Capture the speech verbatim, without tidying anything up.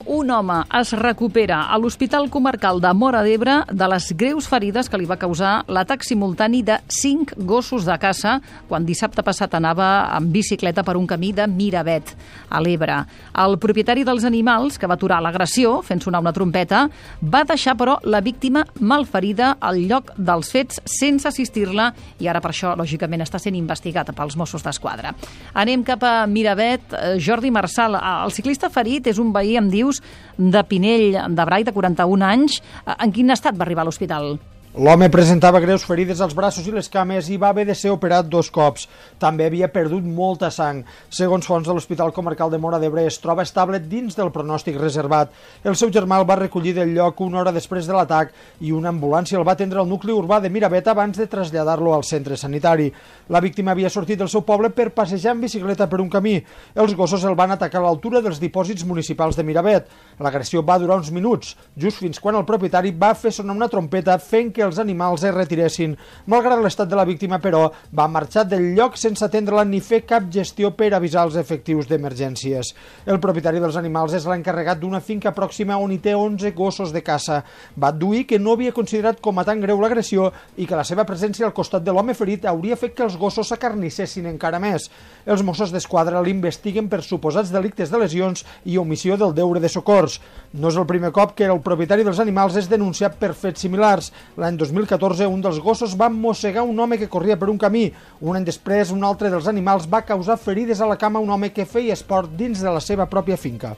un home es recupera a l'Hospital Comarcal de Móra d'Ebre de les greus ferides que li va causar l'atac simultani de cinc gossos de caça quan dissabte passat anava en bicicleta per un camí de Miravet, a l'Ebre. El propietari dels animals, que va aturar l'agressió fent sonar una trompeta, va deixar, però, la víctima malferida al lloc dels fets sense assistir-la i ara per això, lògicament, està sent investigat pels Mossos d'Esquadra. Anem cap a Miravet. Jordi Marçal, el ciclista ferit és un veí, em dius, de Pinell de Brai, de quaranta-un anys. En quin estat va arribar a l'hospital? L'home presentava greus ferides als braços i les cames i va haver de ser operat dos cops. També havia perdut molta sang. Segons fonts de l'Hospital Comarcal de Móra d'Ebre, es troba estable dins del pronòstic reservat. El seu germà el va recollir del lloc una hora després de l'atac i una ambulància el va atendre al nucli urbà de Miravet abans de traslladar-lo al centre sanitari. La víctima havia sortit del seu poble per passejar en bicicleta per un camí. Els gossos el van atacar a l'altura dels dipòsits municipals de Miravet. L'agressió va durar uns minuts, just fins quan el propietari va fer sonar una trompeta fent que els animals es retiressin. Malgrat l'estat de la víctima, però, va marxar del lloc sense atendre-la ni fer cap gestió per avisar els efectius d'emergències. El propietari dels animals és l'encarregat d'una finca pròxima on hi té onze gossos de caça. Va adduir que no havia considerat com a tan greu l'agressió i que la seva presència al costat de l'home ferit hauria fet que els gossos s'acarnissessin encara més. Els Mossos d'Esquadra l'investiguen per suposats delictes de lesions i omissió del deure de socors. No és el primer cop que el propietari dels animals és denunciat per fets similars. L'any dos mil catorze, un dels gossos va mossegar un home que corria per un camí. Un any després, un altre dels animals va causar ferides a la cama a un home que feia esport dins de la seva pròpia finca.